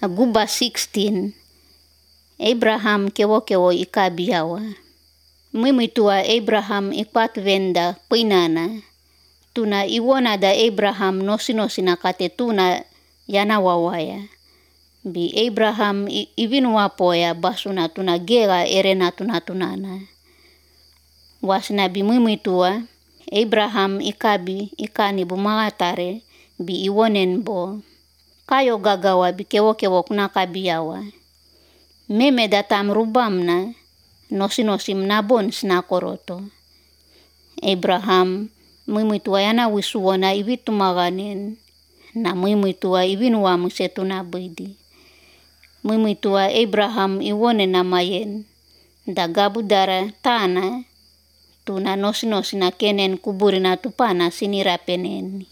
Guba 16, Abraham kewo ikabiyawa. Mimitua Abraham ikpat venda pinana. Tuna iwona da Abraham nosi nakate tuna yana wawaya. Bi Abraham ivinuapoya basuna tuna gera erena tunana. Wasna bi mimitua Abraham ikani bumagatare bi iwonen bo. Kayo gagawa bi kewo kunakabiyawa. Meme datam rubamna nosi mnabon snakoroto. Abraham mimitua yana wisuona ivitumaganen na mimitua ivinua musetuna bidi. Mimitua Abraham iwone namayen da gabudara tana tuna nosi na kenen kuburina tupana sinira peneni.